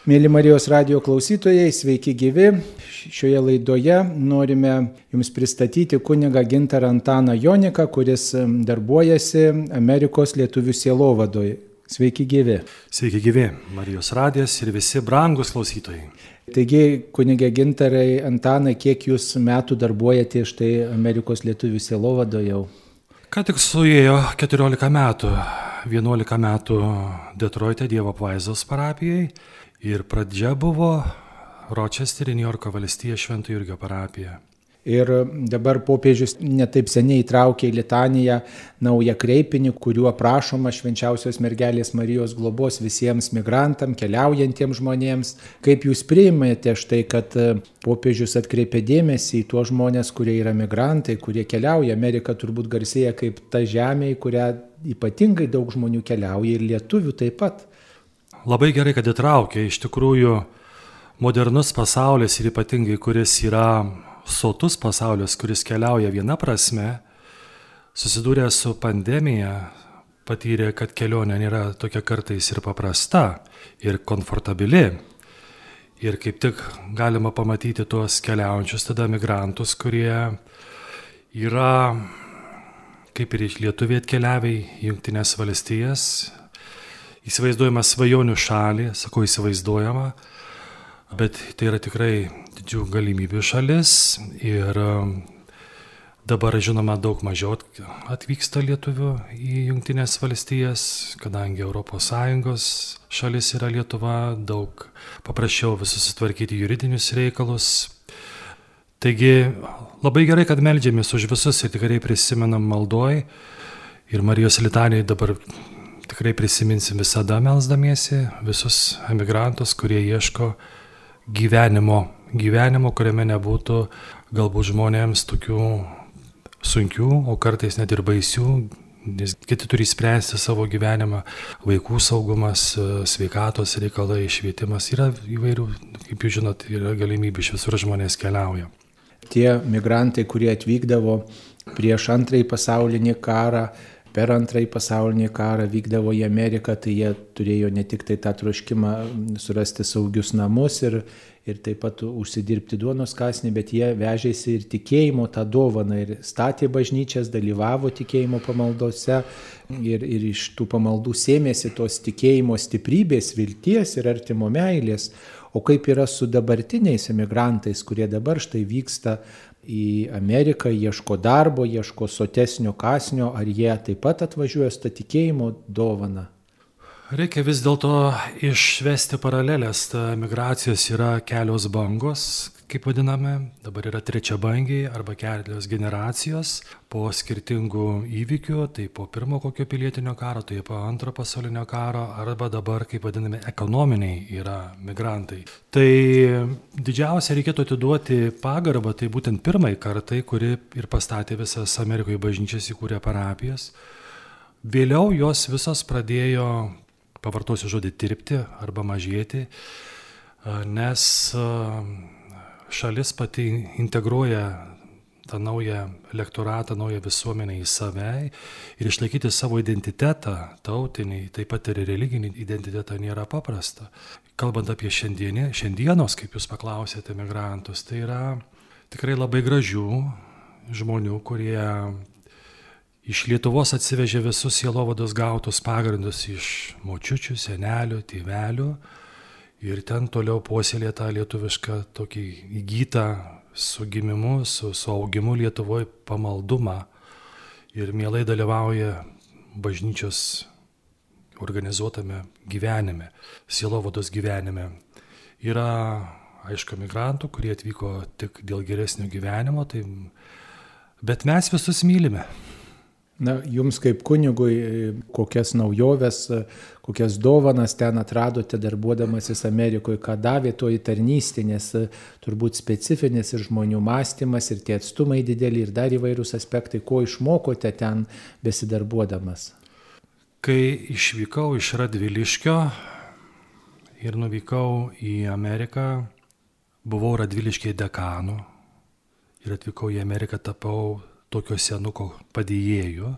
Mėly Marijos radijo klausytojai, sveiki gyvi. Šioje laidoje norime Jums pristatyti kunigą Gintarą Antaną Joniką, kuris darbuojasi Amerikos lietuvių sielovadoje. Sveiki gyvi. Sveiki gyvi, Marijos radijas ir visi brangus klausytojai. Taigi, kunigė Gintarai Antanai, kiek Jūs metų darbuojate štai Amerikos lietuvių sielovadoje jau? Ką tik suėjo 14 metų, 11 metų Detroite Dievo apvaizdos parapijai. Ir pradžia buvo Ročestery, Niujorko valstija, Švento Jurgio parapija. Ir dabar popiežius netaip seniai įtraukė į litaniją naują kreipinį, kuriuo prašoma švenčiausios mergelės Marijos globos visiems migrantam, keliaujantiems žmonėms. Kaip Jūs priimate štai, kad popiežius atkreipė dėmesį į tuos žmonės, kurie yra migrantai, kurie keliauja? Amerika turbūt garsėja kaip ta žemė, į kurią ypatingai daug žmonių keliauja ir lietuvių taip pat. Labai gerai, kad įtraukė. Iš tikrųjų, modernus pasaulis ir ypatingai, kuris yra sotus pasaulis, kuris keliauja viena prasme, susidūrė su pandemija, patyrė, kad kelionė nėra tokia kartais ir paprasta, ir komfortabili. Ir kaip tik galima pamatyti tuos keliaujančius tada migrantus, kurie yra, kaip ir lietuviai atkeliavę į Jungtines valstijas, įsivaizduojama svajonių šalį, sakau įsivaizduojama, bet tai yra tikrai didžių galimybių šalis ir dabar, žinoma, daug mažiau atvyksta lietuvių į Jungtines valstijas, kadangi ES šalis yra Lietuva, daug paprasčiau visus sutvarkyti juridinius reikalus. Taigi labai gerai, kad meldžiamės už visus ir tikrai prisimenam maldoj ir Marijos litanijai dabar tikrai prisiminsim visada melsdamiesi visus emigrantus, kurie ieško gyvenimo, kuriame nebūtų galbūt žmonėms tokių sunkių, o kartais net ir baisių, nes kiti turi spręsti savo gyvenimą, vaikų saugumas, sveikatos reikalai, švietimas, yra įvairių, kaip jūs žinot, yra galimybių, iš visur žmonės keliauja. Tie migrantai, kurie atvykdavo prieš Antrąjį pasaulinį karą, per Antrąjį pasaulinį karą vykdavo į Ameriką, tai jie turėjo ne tik tai tą troškimą surasti saugius namus ir taip pat užsidirbti duonos kąsnį, bet jie vežėsi ir tikėjimo tą dovaną ir statė bažnyčias, dalyvavo tikėjimo pamaldose ir iš tų pamaldų sėmėsi tos tikėjimo stiprybės, vilties ir artimo meilės. O kaip yra su dabartiniais emigrantais, kurie dabar štai vyksta į Ameriką, ieško darbo, ieško sotesnio kąsnio, ar jie taip pat atvažiuoja su tą tikėjimo dovaną? Reikia vis dėlto išvesti paralelės. Migracijos yra kelios bangos, kaip vadiname, dabar yra trečia bangiai arba kelios generacijos po skirtingų įvykių, tai po pirmo kokio pilietinio karo, tai po antro pasaulinio karo, arba dabar, kaip vadiname, ekonominiai yra migrantai. Tai didžiausia reikėtų atiduoti pagarbą, tai būtent pirmai kartai, kuri ir pastatė visas Amerikoje bažnyčias, įkūrė parapijas. Vėliau jos visos pradėjo, pavartosiu žodį, tirpti arba mažėti, nes šalis pati integruoja tą naują elektoratą, naują visuomenę į save ir išlaikyti savo identitetą, tautinį, taip pat ir religinį identitetą nėra paprasta. Kalbant apie šiandienos, kaip jūs paklausėte, migrantus, tai yra tikrai labai gražių žmonių, kurie iš Lietuvos atsivežė visus sielovados gautus pagrindus iš močiučių, senelių, tėvelių ir ten toliau puoselė tą lietuvišką tokį įgytą su gimimu, su augimu Lietuvoje pamaldumą ir mielai dalyvauja bažnyčios organizuotame gyvenime, sielovados gyvenime. Yra, aišku, migrantų, kurie atvyko tik dėl geresnio gyvenimo, bet mes visus mylime. Na, jums kaip kunigui, kokias naujoves, kokias dovanas ten atradote darbuodamasis Amerikoje, ką davė toji tarnystė, nes turbūt specifinis ir žmonių mąstymas, ir tie atstumai dideli, ir dar įvairūs aspektai, ko išmokote ten besidarbuodamas? Kai išvykau iš Radviliškio ir nuvykau į Ameriką, buvau Radviliškėje dekanu ir atvykau į Ameriką, tapau tokio senuko padėjėjo,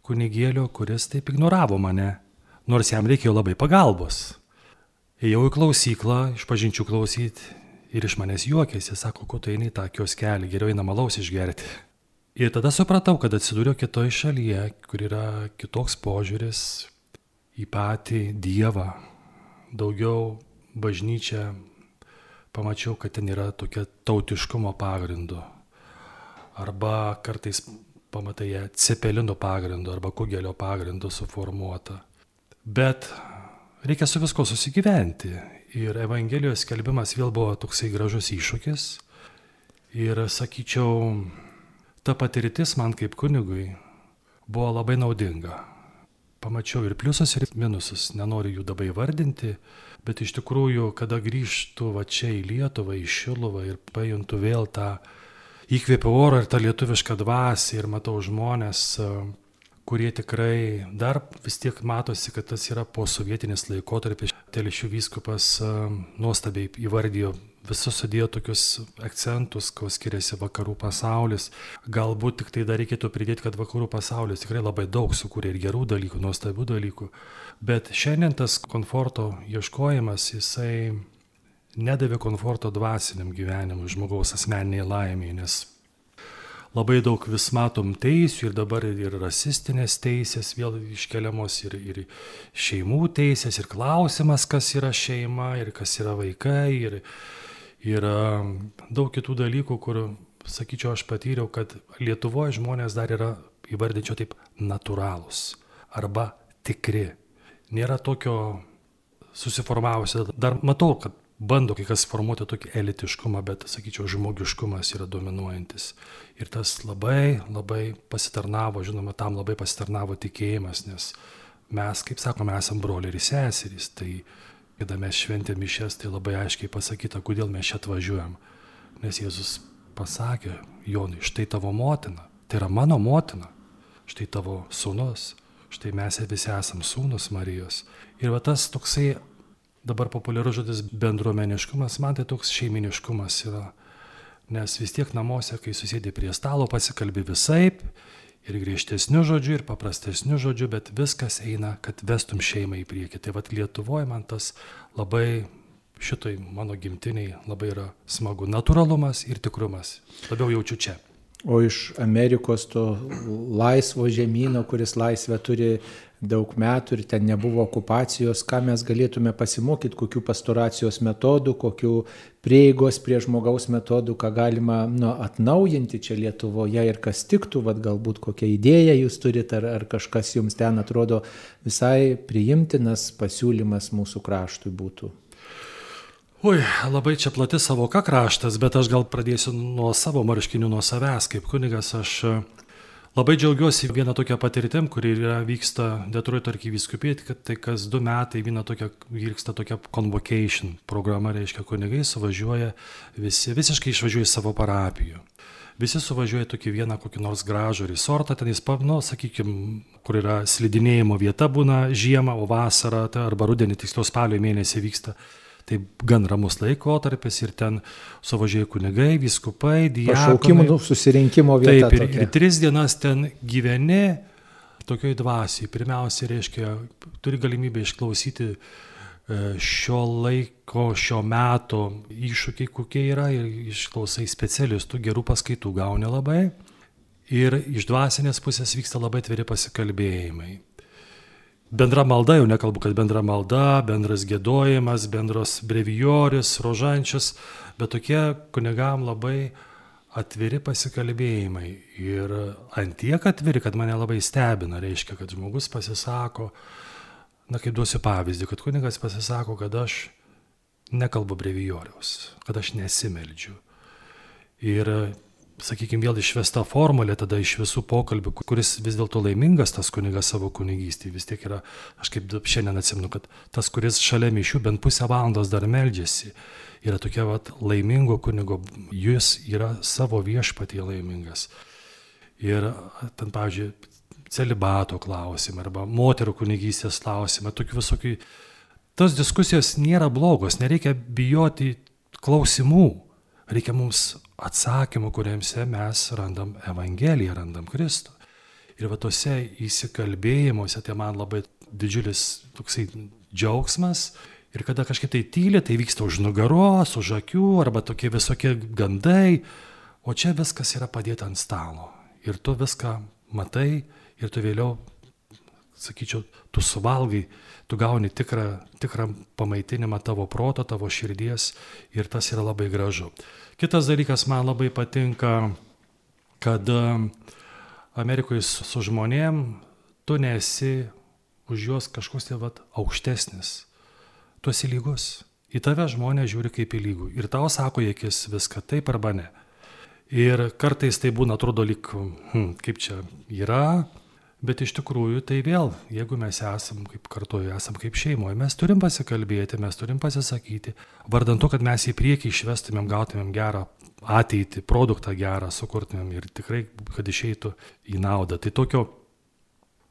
kunigėlio, kuris taip ignoravo mane, nors jam reikėjo labai pagalbos. Ėjau į klausyklą, išpažinčių klausyti ir iš manęs juokėsi, sako, ko tu eini į tą kioskelį, geriau eina alaus išgerti. Ir tada supratau, kad atsidūriau kitoje šalyje, kur yra kitoks požiūris į patį Dievą. Daugiau bažnyčia, pamačiau, kad ten yra tokia tautiškumo pagrindu. Arba kartais pamatai ją cepelino pagrindu, arba kugelio pagrindu suformuota. Bet reikia su visko susigyventi. Ir Evangelijos skelbimas vėl buvo toksai gražus iššūkis. Ir sakyčiau, ta patirtis man kaip kunigui buvo labai naudinga. Pamačiau ir pliusus, ir minusus, nenoriu jų dabar įvardinti, bet iš tikrųjų, kada grįžtu va čia į Lietuvą, į Šiluvą ir pajuntu vėl tą įkvėpiau oro ir tą lietuvišką dvasią ir matau žmonės, kurie tikrai dar vis tiek matosi, kad tas yra posovietinis laikotarpis. Telšių vyskupas nuostabiai įvardijo, visus sudėjo tokius akcentus, ko skiriasi vakarų pasaulis. Galbūt tik tai dar reikėtų pridėti, kad vakarų pasaulis tikrai labai daug sukūrė ir gerų dalykų, nuostabių dalykų. Bet šiandien tas komforto ieškojimas, jisai nedavė komforto dvasiniam gyvenimui, žmogaus asmeniniai laimiai, nes labai daug vis matom teisių ir dabar ir rasistinės teisės vėl iškeliamos, ir šeimų teisės, ir klausimas, kas yra šeima, ir kas yra vaikai, ir daug kitų dalykų, kur, sakyčiau, aš patyriau, kad Lietuvoje žmonės dar yra, įvardinčiau taip, natūralūs arba tikri. Nėra tokio susiformavusio, dar matau, kad bando kai kas formuoti tokį elitiškumą, bet, sakyčiau, žmogiškumas yra dominuojantis. Ir tas labai, labai pasitarnavo, žinoma, tam labai pasitarnavo tikėjimas, nes mes, kaip sakome, esame broliai ir seserys. Tai, kada mes šventėm mišias, tai labai aiškiai pasakyta, kodėl mes čia atvažiuojam. Nes Jėzus pasakė, Jonai, štai tavo motina, tai yra mano motina, štai tavo sūnus, štai mes visi esam sūnus Marijos. Ir va tas toksai, dabar populiarus žodis bendruomeniškumas, man tai toks šeiminiškumas yra. Nes vis tiek namuose, kai susėdė prie stalo, pasikalbi visaip, ir griežtesnių žodžių, ir paprastesnių žodžių, bet viskas eina, kad vestum šeimą į priekį. Tai vat Lietuvoje man tas labai, šitoj mano gimtiniai, labai yra smagu. Natūralumas ir tikrumas. Labiau jaučiu čia. O iš Amerikos to laisvo žemyno, kuris laisvę turi daug metų ir ten nebuvo okupacijos, ką mes galėtume pasimokyti, kokių pastoracijos metodų, kokių prieigos prie žmogaus metodų, ką galima atnaujinti čia Lietuvoje ir kas tiktų, vat galbūt kokią idėją jūs turite, ar kažkas jums ten atrodo visai priimtinas pasiūlymas mūsų kraštui būtų. Ui, labai čia plati savoka kraštas, bet aš gal pradėsiu nuo savo marškinių, nuo savęs. Kaip kunigas aš labai džiaugiuosi vieną tokią patirtim, kuri vyksta Detroito arkivyskupijai, kad tai kas 2 metai vyksta tokia convocation programa, reiškia kunigai suvažiuoja, visiškai išvažiuoja į savo parapijų. Visi suvažiuoja tokį vieną kokį nors gražų resortą, ten jis, sakykime, kur yra slidinėjimo vieta būna žiemą, o vasarą arba rudenį, tiksliau spalio mėnesį vyksta. Tai gan ramus laikotarpis ir ten suvažiuoja kunigai, vyskupai, diakonai. Pašaukimų susirinkimo vieta. Taip, ir 3 dienas ten gyveni tokioj dvasiai. Pirmiausia, reiškia, turi galimybę išklausyti šio laiko, šio meto iššūkiai, kokie yra, ir išklausai specialistų, gerų paskaitų gauni labai. Ir iš dvasinės pusės vyksta labai atviri pasikalbėjimai. Bendra malda, jau nekalbu, kad bendra malda, bendras giedojimas, bendros brevijorius, rožančius, bet tokie kunigam labai atviri pasikalbėjimai. Ir antiek atviri, kad mane labai stebina, reiškia, kad žmogus pasisako, kaip duosiu pavyzdį, kad kunigas pasisako, kad aš nekalbu brevijoriaus, kad aš nesimeldžiu. Ir sakykime, vėl išvesta formulė tada iš visų pokalbių, kuris vis dėlto laimingas tas kunigas savo kunigystėje. Vis tiek yra, aš kaip šiandien atsimenu, kad tas, kuris šalia mišių bent pusę valandos dar meldžiasi, yra tokia laimingo kunigo, jis yra savo viešpatyje laimingas. Ir ten, pavyzdžiui, celibato klausimai arba moterų kunigystės klausimai, tokių visokių. Tos diskusijos nėra blogos, nereikia bijoti klausimų. Reikia mums atsakymų, kuriuose mes randam Evangeliją, randam Kristų. Ir tose įsikalbėjimuose tai man labai didžiulis toksai džiaugsmas Ir kada kažkaip tai tyli, tai vyksta už nugaros, už akių, arba tokie visokie gandai, o čia viskas yra padėta ant stalo. Ir tu viską matai, ir tu vėliau, sakyčiau, tu suvalgai, tu gauni tikrą pamaitinimą tavo proto, tavo širdies, ir tas yra labai gražu. Kitas dalykas man labai patinka, kad Amerikoje su žmonėm tu nesi už juos kažkoks tai aukštesnis. Tu esi lygus. Į tave žmonės žiūri kaip į lygų. Ir tau sako į akis viską taip arba ne. Ir kartais tai būna, atrodo, lyg, kaip čia yra, bet iš tikrųjų tai vėl, jeigu mes esam kaip kartuoju, esam kaip šeimoje, mes turim pasikalbėti, mes turim pasisakyti, vardan to, kad mes į priekį išvestumėm, gautumėm gerą ateitį, produktą gerą sukurtumėm ir tikrai, kad išeitų į naudą. Tai tokio,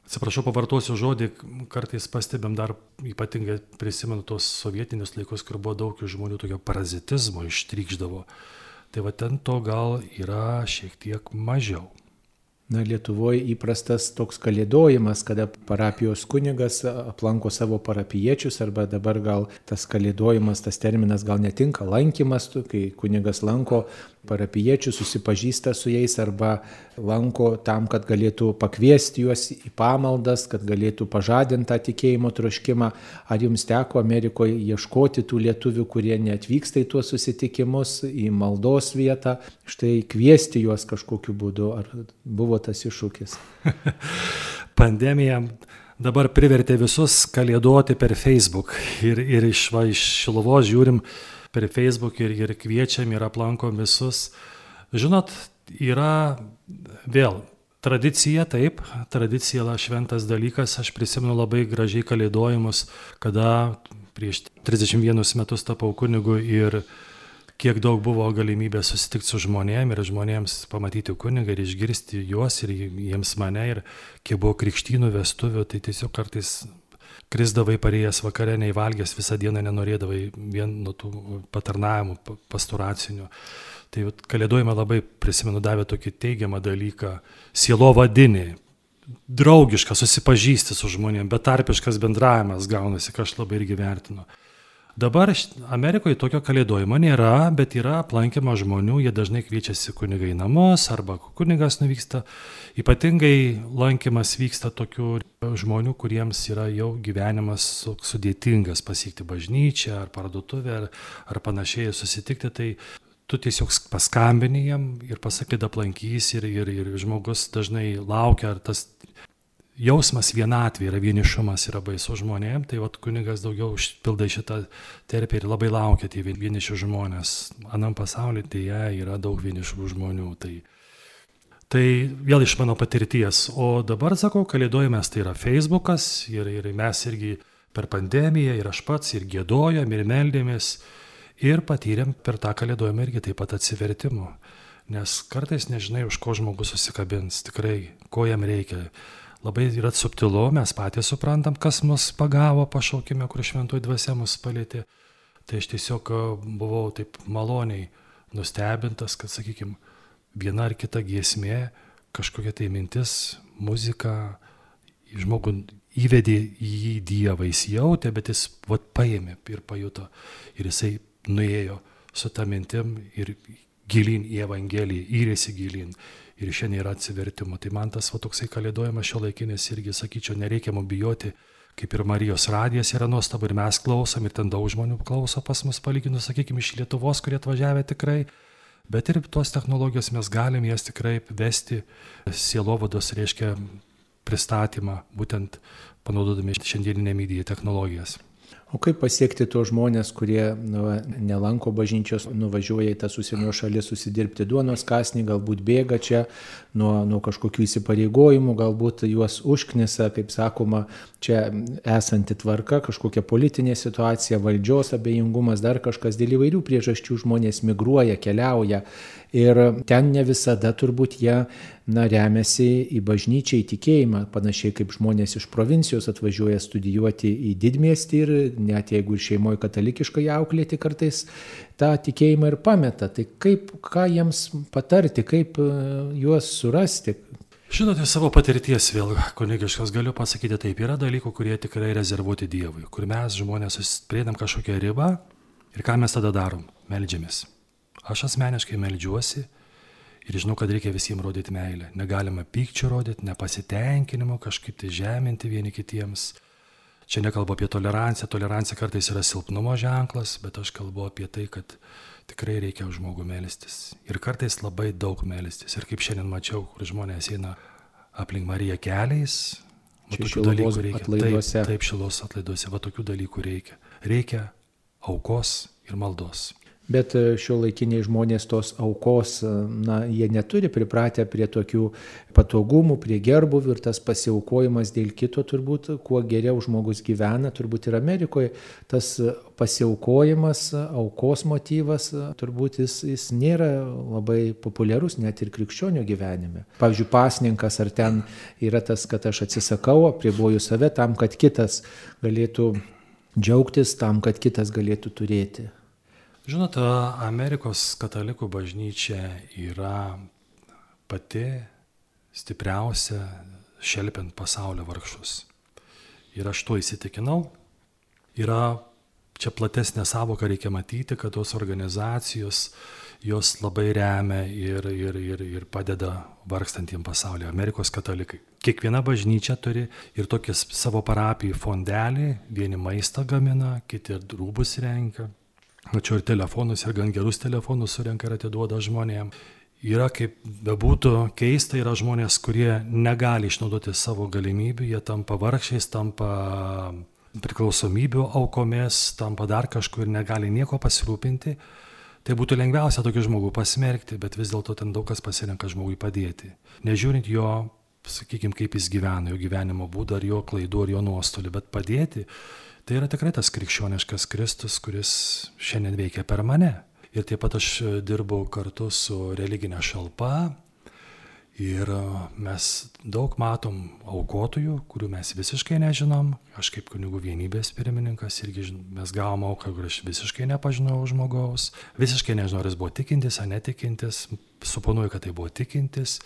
atsiprašau, pavartosiu žodį, kartais pastebėm dar, ypatingai prisimenu tos sovietinius laikus, kur buvo daug žmonių tokio parazitizmo ištrykšdavo. Tai va ten to gal yra šiek tiek mažiau. Na, Lietuvoje įprastas toks kalėdojimas, kada parapijos kunigas aplanko savo parapiečius, arba dabar gal tas kalėdojimas, tas terminas gal netinka, lankymas, kai kunigas lanko parapiečius, susipažįsta su jais, arba lanko tam, kad galėtų pakviesti juos į pamaldas, kad galėtų pažadinti tą tikėjimo troškimą. Ar jums teko Amerikoje ieškoti tų lietuvių, kurie neatvyksta į tuos susitikimus, į maldos vietą, štai kviesti juos kažkokiu būdu, ar buvo tas iššūkis? Pandemija dabar privertė visus kalėdoti per Facebook ir iš Šiluvos žiūrim per Facebook ir kviečiam ir aplankom visus. Žinot, yra vėl tradicija, taip, tradicija yra šventas dalykas. Aš prisimenu labai gražiai kalėdojimus, kada prieš 31 metus tapau kunigu ir kiek daug buvo galimybė susitikti su žmonėm ir žmonėms pamatyti kunigą ir išgirsti juos ir jiems mane, ir kiek buvo krikštynų, vestuvių, tai tiesiog kartais krisdavai parėjęs vakare, neįvalgęs, visą dieną nenorėdavai vien nuo tų patarnavimų pastoracinių. Tai kalėdojimą labai, prisimenu, davė tokį teigiamą dalyką, sielovadinį, draugišką, susipažįsti su žmonėm, betarpiškas bendravimas gaunasi, ką aš labai irgi vertinu. Dabar Amerikoje tokio kalėdojimo nėra, bet yra aplankymo žmonių, jie dažnai kviečiasi kunigai į namus, arba kunigas nuvyksta. Ypatingai lankymas vyksta tokių žmonių, kuriems yra jau gyvenimas sudėtingas, pasiekti bažnyčią, ar parduotuvę, ar panašiai susitikti, tai tu tiesiog paskambini jam ir pasakai, aplankys, ir žmogus dažnai laukia, ar tas jausmas vienatvė yra, vienišumas yra baisu žmonėm, tai kunigas daugiau užpildai šitą terpę ir labai laukia tie vieniši žmonės. Anam pasaulyje tai yra daug vienišų žmonių. Tai vėl iš mano patirties. O dabar, sakau, kalėdojimas tai yra Facebookas ir mes irgi per pandemiją, ir aš pats, ir giedojom, ir meldėmės, ir patyrėm per tą kalėdojimą irgi taip pat atsivertimų. Nes kartais nežinai, už ko žmogus susikabins, tikrai, ko jam reikia. Labai yra subtilu, mes patys suprantam, kas mus pagavo pašaukime, kur šventoji dvasia mus palėtė. Tai aš tiesiog buvau taip maloniai nustebintas, kad, sakykime, viena ar kita giesmė, kažkokia tai mintis, muzika, žmogų įvedė į Dievą, jis jautė, bet jis paėmė ir pajuto. Ir jisai nuėjo su ta mintim ir gilin į Evangeliją, įrėsi gilin. Ir šiandien yra atsivertimo. Tai man tas toksai kalėdojimas šiuolaikinis irgi, sakyčiau, nereikia mums bijoti, kaip ir Marijos radijas yra nuostabu, ir mes klausom, ir ten daug žmonių klauso pas mus, palyginus, sakykime, iš Lietuvos, kurie atvažiavę tikrai. Bet ir tos technologijos mes galim jas tikrai vesti, sielovados reiškia pristatymą, būtent panaudodami šiandieninę mediją technologijas. O kaip pasiekti tuos žmonės, kurie nelanko bažnyčios, nuvažiuoja į tas užsienio šalis susidirbti duonos kąsnį, galbūt bėga čia nuo kažkokių įsipareigojimų, galbūt juos užknisa, kaip sakoma, čia esanti tvarka, kažkokia politinė situacija, valdžios abejingumas, dar kažkas, dėl įvairių priežasčių žmonės migruoja, keliauja ir ten ne visada turbūt jie remiasi į bažnyčią, į tikėjimą, panašiai kaip žmonės iš provincijos atvažiuoja studijuoti į didmiestį ir net jeigu ir šeimoje katalikiškai auklėti, kartais tą tikėjimą ir pameta. Tai ką jiems patarti, kaip juos surasti? Žinote, savo patirties vėl kunigiškas galiu pasakyti taip, yra dalykų, kurie tikrai rezervuoti Dievui, kur mes žmonės prieinam kažkokią ribą ir ką mes tada darom? Meldžiamės. Aš asmeniškai meldžiuosi ir žinau, kad reikia visiems rodyti meilę. Negalima pykčio rodyti, nepasitenkinimo, kažkaip tai žeminti vieni kitiems. Čia nekalbu apie toleranciją, tolerancija kartais yra silpnumo ženklas, bet aš kalbu apie tai, kad tikrai reikia už žmogų melstis. Ir kartais labai daug melstis. Ir kaip šiandien mačiau, kur žmonės eina aplink Mariją keliais, tokių dalykų reikia. Taip, šilos atlaiduose, tokių dalykų reikia. Reikia aukos ir maldos. Bet šiuolaikiniai žmonės tos aukos, jie neturi pripratę prie tokių patogumų, prie gerbuvių ir tas pasiaukojimas dėl kito turbūt, kuo geriau žmogus gyvena, turbūt ir Amerikoje tas pasiaukojimas, aukos motyvas, turbūt jis nėra labai populiarus net ir krikščionio gyvenime. Pavyzdžiui, pasninkas ar ten yra tas, kad aš atsisakau, apriboju save tam, kad kitas galėtų džiaugtis, tam, kad kitas galėtų turėti. Žinote, Amerikos katalikų bažnyčia yra pati stipriausia šelpiant pasaulio vargšus. Ir aš tuo įsitikinau. Yra čia platesnė savoka, reikia matyti, kad tos organizacijos jos labai remia ir padeda vargstantiem pasaulyje. Amerikos katalikai. Kiekviena bažnyčia turi ir tokį savo parapijų fondelį, vieni maistą gamina, kiti rūbus renka. Tačiau ir telefonus, ir gan gerus telefonus surenka ir atiduoda žmonėm. Yra, kaip bebūtų keista, yra žmonės, kurie negali išnaudoti savo galimybių, jie tampa vargšiais, tampa priklausomybių aukomis, tampa dar kažkur ir negali nieko pasirūpinti. Tai būtų lengviausia tokį žmogų pasmerkti, bet vis dėlto ten daug kas pasirenka žmogui padėti. Nežiūrint jo, sakykime, kaip jis gyvena, jo gyvenimo būdą, ar jo klaidų, ar jo nuostolių, bet padėti. Tai yra tikrai tas krikščioniškas Kristus, kuris šiandien veikia per mane. Ir taip pat aš dirbau kartu su religinė šalpa ir mes daug matom aukotojų, kurių mes visiškai nežinom. Aš kaip kunigų vienybės pirmininkas irgi mes gavom auką, kur aš visiškai nepažinau žmogaus. Visiškai nežinau, ar jis buvo tikintis ar netikintis. Suponuoju, kad tai buvo tikintis,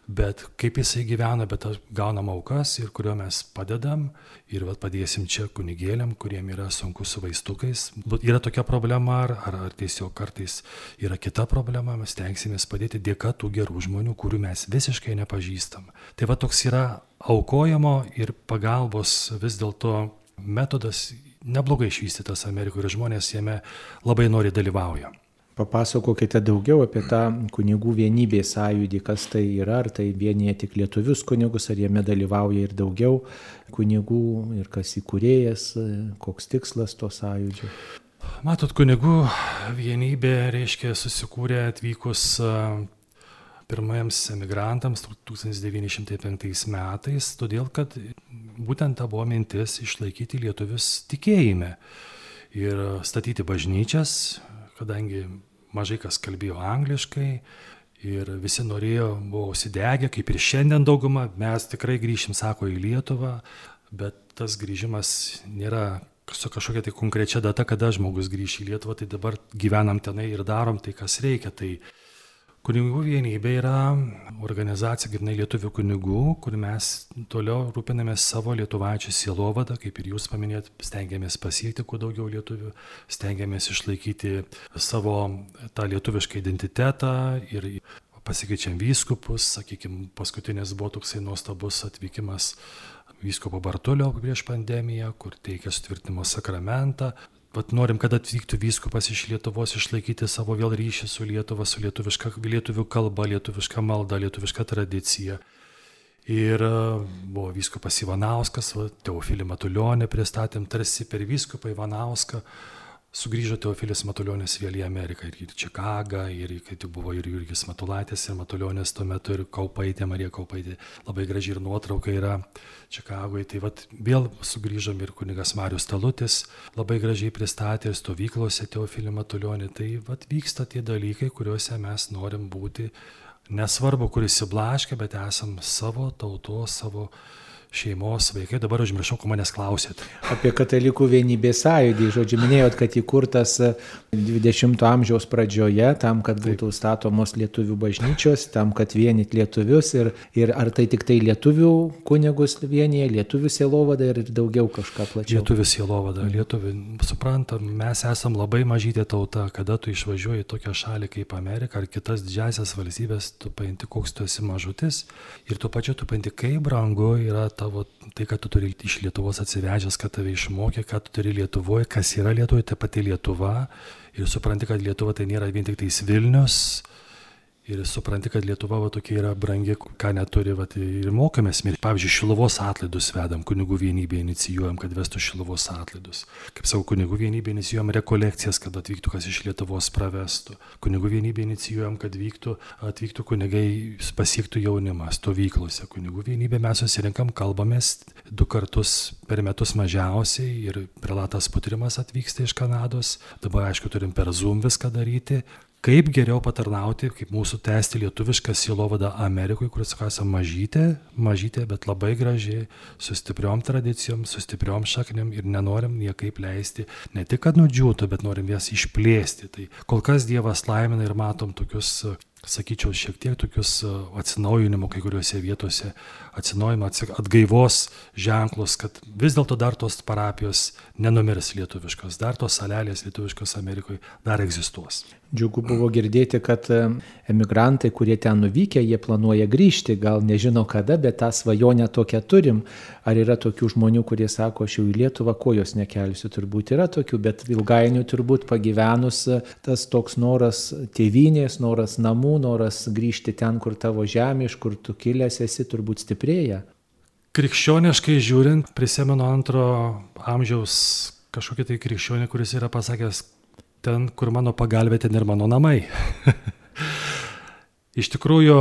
bet kaip jisai gyvena, bet gaunam aukas ir kurio mes padedam ir padėsim čia kunigėliam, kuriem yra sunku su vaistukais. Yra tokia problema ar tiesiog kartais yra kita problema, mes tenksimės padėti dėka tų gerų žmonių, kurių mes visiškai nepažįstam. Tai toks yra aukojimo ir pagalbos vis dėlto metodas neblogai išvystytas Amerikoje ir žmonės jame labai nori dalyvauja. Papasakokite daugiau apie tą kunigų vienybės sąjūdį, kas tai yra, ar tai vienyje tik lietuvius kunigus, ar jame dalyvauja ir daugiau kunigų, ir kas įkūrėjas, koks tikslas to sąjūdžio. Matot, kunigų vienybė reiškia susikūrė atvykus pirmiems emigrantams 1905 metais, todėl kad būtent ta buvo mintis išlaikyti lietuvius tikėjime ir statyti bažnyčias, kadangi mažai kas kalbėjo angliškai ir visi norėjo, buvo užsidegę, kaip ir šiandien dauguma, mes tikrai grįšim, sako, į Lietuvą, bet tas grįžimas nėra su kažkokia tai konkrečia data, kada žmogus grįš į Lietuvą, tai dabar gyvenam tenai ir darom tai, kas reikia. Tai kunigų vienybė yra organizacija, grynai lietuvių kunigų, kur mes toliau rūpinamės savo lietuvaičių sielovadą, kaip ir jūs paminėjot, stengiamės pasiekti kuo daugiau lietuvių, stengiamės išlaikyti savo tą lietuvišką identitetą ir pasikeičiam vyskupus, sakykime, paskutinis buvo toksai nuostabus atvykimas vyskupo Bartulio prieš pandemiją, kur teikia sutvirtinimo sakramentą. Norim, kad atvyktų vyskupas iš Lietuvos, išlaikyti savo vėl ryšį su Lietuva, su lietuvių kalba, lietuviška malda, lietuviška tradicija. Ir buvo vyskupas Ivanauskas, Teofilį Matulionį pristatėm tarsi per vyskupą Ivanauską. Sugrįžo Teofilis Matulionis vėl į Ameriką ir į Čikagą, ir kai buvo ir Jurgis Matulaitis, ir Matulionis tuo metu, ir Kaupaitė, Marija Kaupaitė, labai graži ir nuotrauka yra Čikagoje. Tai vėl sugrįžom ir kunigas Marius Talutis labai gražiai pristatė ir stovyklose Teofilį Matulionį. Tai vyksta tie dalykai, kuriuose mes norim būti, nesvarbu, kur įsiblaškę, bet esam savo tautos, savo šeimos vaikai. Dabar užmiršau, ko manęs klausėt. Apie katalikų vienybės sąjūdį. Žodžiu, minėjot, kad įkurtas 20 amžiaus pradžioje, tam, kad būtų statomos lietuvių bažnyčios, tam, kad vienyti lietuvius ir ar tai tik tai lietuvių kunigus vienyje, lietuvių sielovada ir daugiau kažką plačiau. Lietuvių sielovada, lietuvių, suprantam, mes esam labai mažytė tauta, kada tu išvažiuoji į tokią šalį kaip Amerika ar kitas didžiasias valstybės, tu painti, koks tu esi mažutis ir tuo pačiu tu painti, kaip brangu yra tavo, tai, kad tu turi iš Lietuvos atsivežęs, kad tave išmokė, kad tu turi Lietuvoje, kas yra Lietuvoje, tai pati Lietuva. Ir supranti, kad Lietuva tai nėra vien tik tais Vilnius. Ir supranti, kad Lietuva tokia yra brangi, ką neturi, ir mokomės. Pavyzdžiui, Šiluvos atlaidus vedam, kunigų vienybė inicijuojam, kad vestų Šiluvos atlaidus. Kaip savo kunigų vienybė inicijuojam rekolekcijas, kad atvyktų kas iš Lietuvos pravestų. Kunigų vienybė inicijuojam, kad atvyktų kunigai, pasiektų jaunimą stovyklose. Kunigų vienybė mes susirinkam, kalbamės 2 kartus per metus mažiausiai ir prelatas Putrimas atvyksta iš Kanados. Dabar, aišku, turim per Zoom viską daryti. Kaip geriau patarnauti, kaip mūsų tęsti lietuvišką sielovadą Amerikoje, kuris esame mažytė, bet labai gražiai, su stipriom tradicijom, su stipriom šaknim ir nenorim niekaip leisti, ne tik kad nudžiūtų, bet norim jas išplėsti. Tai kol kas Dievas laimina ir matom tokius, sakyčiau, šiek tiek tokius atsinaujinimo kai kuriuose vietose, atsinaujinimo, atgaivos ženklus, kad vis dėlto dar tos parapijos nenumirs lietuviškos, dar tos salelės lietuviškos Amerikoje dar egzistuos. Džiugu buvo girdėti, kad emigrantai, kurie ten nuvykę, jie planuoja grįžti, gal nežino kada, bet tą svajonę tokią turim. Ar yra tokių žmonių, kurie sako, aš jau į Lietuvą kojos nekelsiu, turbūt yra tokių, bet ilgainiui turbūt pagyvenus tas toks noras tėvynės, noras namų, noras grįžti ten, kur tavo žemė, iš kur tu kilęs esi, turbūt stiprėja. Krikščioniškai žiūrint, prisimenu 2 amžiaus kažkokį tai krikščionį, kuris yra pasakęs, ten, kur mano pagalbė, ten ir mano namai. Iš tikrųjų,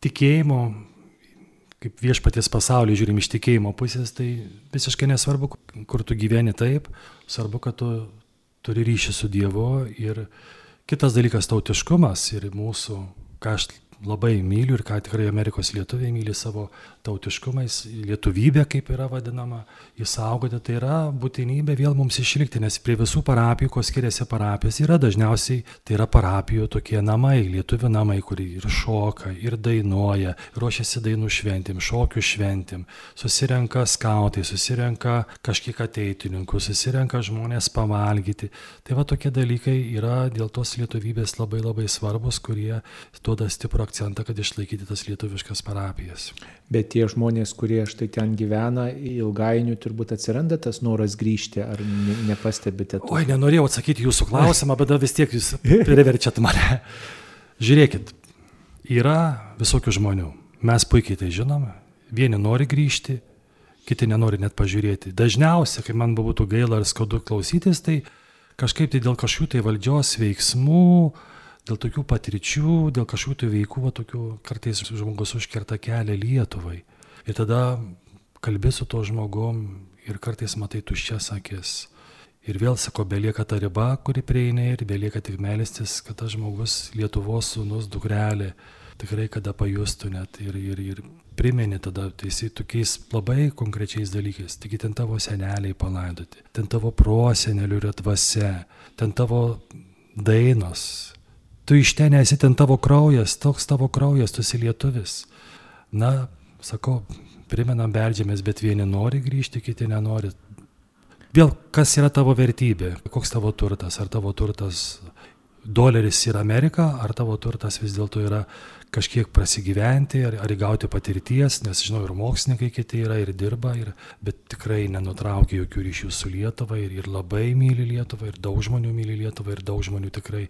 tikėjimo, kaip viešpaties pasaulį žiūrim iš tikėjimo pusės, tai visiškai nesvarbu, kur tu gyveni taip, svarbu, kad tu turi ryšį su Dievu ir kitas dalykas tautiškumas ir mūsų, ką aš labai myliu ir ką tikrai Amerikos lietuviai myli savo tautiškumais, lietuvybė, kaip yra vadinama, įsaugoti, tai yra būtinybė vėl mums išlikti, nes prie visų parapijų, ko skiriasi parapijos, yra dažniausiai, tai yra parapijų tokie namai, lietuvių namai, kur ir šoka, ir dainuoja, ruošiasi dainų šventėm, šokių šventėm, susirenka skautai, susirenka kažkiek ateitininkų, susirenka žmonės pavalgyti. Tai va tokie dalykai yra dėl tos lietuvybės labai labai svarbus, kurie duoda stiprų akcentą, kad išlaikyti tas lietuviškas parapijas. Bet tie žmonės, kurie štai ten gyvena, ilgainiui turbūt atsiranda tas noras grįžti, ar nepastebite to? Oi, nenorėjau atsakyti jūsų klausimą, bet vis tiek jūs priverčiat mane. Žiūrėkit, yra visokių žmonių. Mes puikiai tai žinome. Vieni nori grįžti, kiti nenori net pažiūrėti. Dažniausiai, kai man būtų gaila ar skaudu klausytis, tai kažkaip tai dėl kažkokių tai valdžios veiksmų, dėl tokių patirčių, dėl kažkokių tai veikų, tokių kartais žmogus užkerta kelią Lietuvai. Ir tada kalbi su to žmogum ir kartais matai tuščias akis. Ir vėl, sako, belieka ta riba, kuri prieina ir belieka tik melstis, kad tas žmogus, Lietuvos sūnus, dukrelė, tikrai kada pajustų net ir primeni tada teisai tokiais labai konkrečiais dalykais. Taigi ten tavo seneliai palaidoti, ten tavo prosenelių yra dvasia, ten tavo dainos. Tu iš ten esi, ten tavo kraujas, toks tavo kraujas, tu esi lietuvis. Na, sakau, primenam, beldžiamės, bet vieni nori grįžti, kiti nenori. Vėl, kas yra tavo vertybė? Koks tavo turtas? Ar tavo turtas doleris yra Amerika, ar tavo turtas vis dėlto yra kažkiek prasigyventi, ar įgauti patirties, nes žinau, ir mokslininkai kiti yra, ir dirba, bet tikrai nenutraukia jokių ryšių su Lietuva ir labai myli Lietuvą, ir daug žmonių myli Lietuvą, ir daug žmonių tikrai,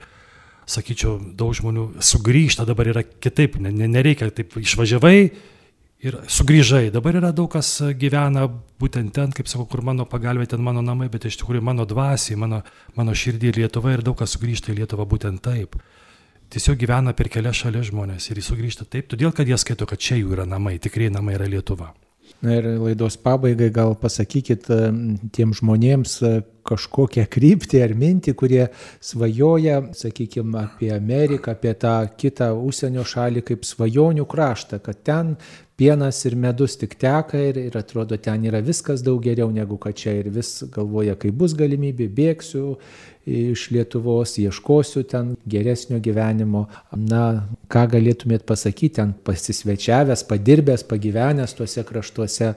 sakyčiau, daug žmonių sugrįžta, dabar yra kitaip, nereikia taip išvažiavai ir sugrįžai. Dabar yra daug kas gyvena būtent ten, kaip sakau, kur mano pagalbė, ten mano namai, bet iš tikrųjų mano dvasiai, mano širdį Lietuva ir daug kas sugrįžta į Lietuvą būtent taip. Tiesiog gyvena per kelias šalis žmonės ir jis sugrįžta taip, todėl kad jie skaito, kad čia jų yra namai, tikrai namai yra Lietuva. Na ir laidos pabaigai gal pasakykit tiem žmonėms kažkokią kryptį ar mintį, kurie svajoja, sakykime, apie Ameriką, apie tą kitą užsienio šalį kaip svajonių kraštą, kad ten pienas ir medus tik teka ir atrodo ten yra viskas daug geriau negu kad čia ir vis galvoja, kai bus galimybė, bėgsiu iš Lietuvos, ieškosiu ten geresnio gyvenimo. Na, ką galėtumėt pasakyti, ten pasisvečiavęs, padirbęs, pagyvenęs tuose kraštuose,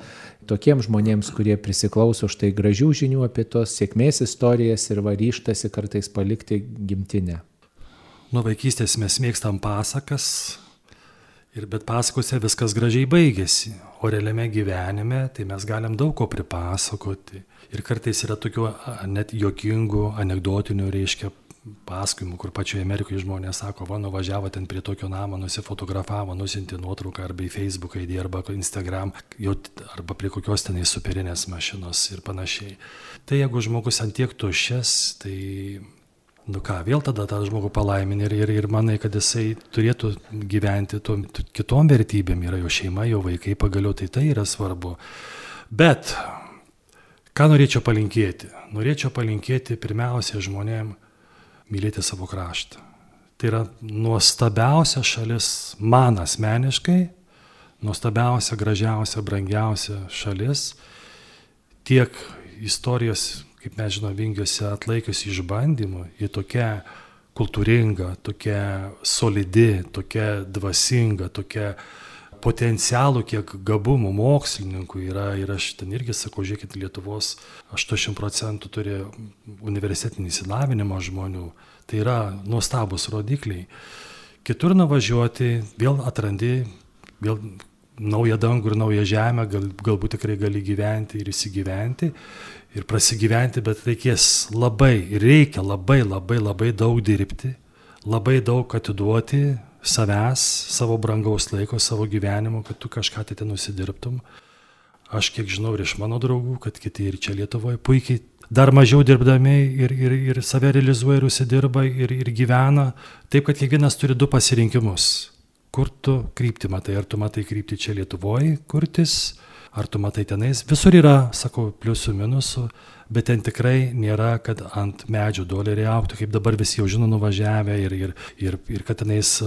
tokiems žmonėms, kurie prisiklauso štai gražių žinių apie tos sėkmės istorijas ir ryžtasi kartais palikti gimtinę. Nuo vaikystės mes mėgstam pasakas, bet pasakose viskas gražiai baigėsi, o realiame gyvenime tai mes galim daug ko pripasakoti. Ir kartais yra tokių net juokingų, anekdotinių, pasakojimų, kur pačioje Amerikoje žmonės sako, va, nuvažiavo ten prie tokio namo, nusifotografavo, nusiuntė nuotrauką arba į Facebooką įdėjo, arba Instagram, arba prie kokios tenai superinės mašinos ir panašiai. Tai jeigu žmogus ant tiek tuščias, tai vėl tada tą žmogų palaimini ir manai, kad jisai turėtų gyventi kitom vertybėm, yra jo šeima, jo vaikai, pagaliau tai yra svarbu. Bet ką norėčiau palinkėti? Norėčiau palinkėti pirmiausia žmonėm mylėti savo kraštą. Tai yra nuostabiausia šalis man asmeniškai, nuostabiausia, gražiausia, brangiausia šalis, tiek istorijos, kaip mes žinome, vingiuose atlaikiusi išbandymų, ji tokia kultūringa, tokia solidi, tokia dvasinga, tokia potencialų, kiek gabumų mokslininkų yra. Ir aš ten irgi sakau, žiūrėkit, Lietuvos 80% turi universitetinį išsilavinimą žmonių. Tai yra nuostabus rodikliai. Kitur nuvažiuoti, vėl atrandi, vėl naują dangų ir naują žemę, galbūt tikrai gali gyventi ir įsigyventi ir prasigyventi, bet reikia labai daug dirbti, labai daug atiduoti savęs, savo brangaus laiko, savo gyvenimo, kad tu kažką tai ten nusidirbtum. Aš kiek žinau ir iš mano draugų, kad kiti ir čia Lietuvoje puikiai dar mažiau dirbdami ir save realizuoja ir užsidirba ir gyvena. Taip, kad kiekvienas turi du pasirinkimus. Kur tu kryptį matai? Ar tu matai kryptį čia Lietuvoje kurtis, ar tu matai tenais? Visur yra, sakau, pliusų, minusų, bet ten tikrai nėra, kad ant medžių doleriai auktų, kaip dabar visi jau žino nuvažiavę ir kad tenais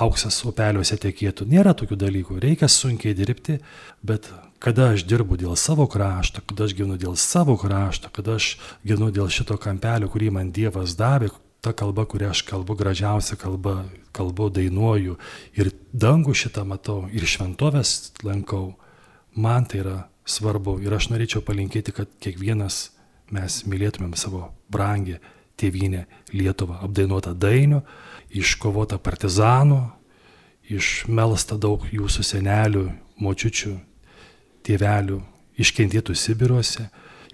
auksas upeliuose tekėtų. Nėra tokių dalykų. Reikia sunkiai dirbti, bet kada aš dirbu dėl savo krašto, kada aš gyvenu dėl savo krašto, kada aš gyvenu dėl šito kampelio, kurį man Dievas davė, ta kalba, kurią aš kalbu, gražiausia kalba, kalbu, dainuoju ir dangų šitą matau ir šventovės lankau, man tai yra svarbu ir aš norėčiau palinkėti, kad kiekvienas mes mylėtumėm savo brangę tėvynę Lietuvą, apdainuotą dainių, iškovotą partizanų, išmelstą daug jūsų senelių, močiučių, tėvelių, iškentėtų Sibiruose.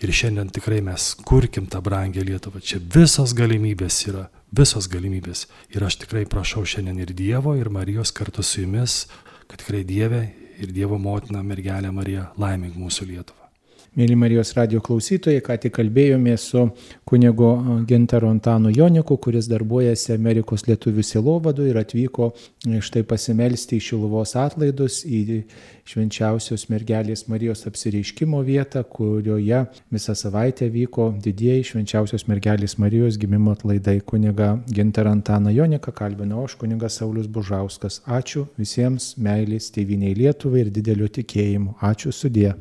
Ir šiandien tikrai mes kurkim tą brangę Lietuvą. Čia visos galimybės yra, visos galimybės. Ir aš tikrai prašau šiandien ir Dievo, ir Marijos kartu su jumis, kad tikrai Dieve ir Dievo motina mergelė Marija laimink mūsų Lietuvą. Mėly Marijos radijo klausytojai, ką tik kalbėjome su kunigu Gintaru Antanu Joniku, kuris darbuojasi Amerikos lietuvių sielovadų ir atvyko štai pasimelsti į Šiluvos atlaidus, į švenčiausios mergelės Marijos apsireiškimo vietą, kurioje visą savaitę vyko didieji švenčiausios mergelės Marijos gimimo atlaidai. Kunigą Gintarą Antaną Joniką kalbinau aš, kunigas Saulius Bužauskas. Ačiū visiems, meilės tėvynei Lietuvai ir didelio tikėjimo. Ačiū, sudie.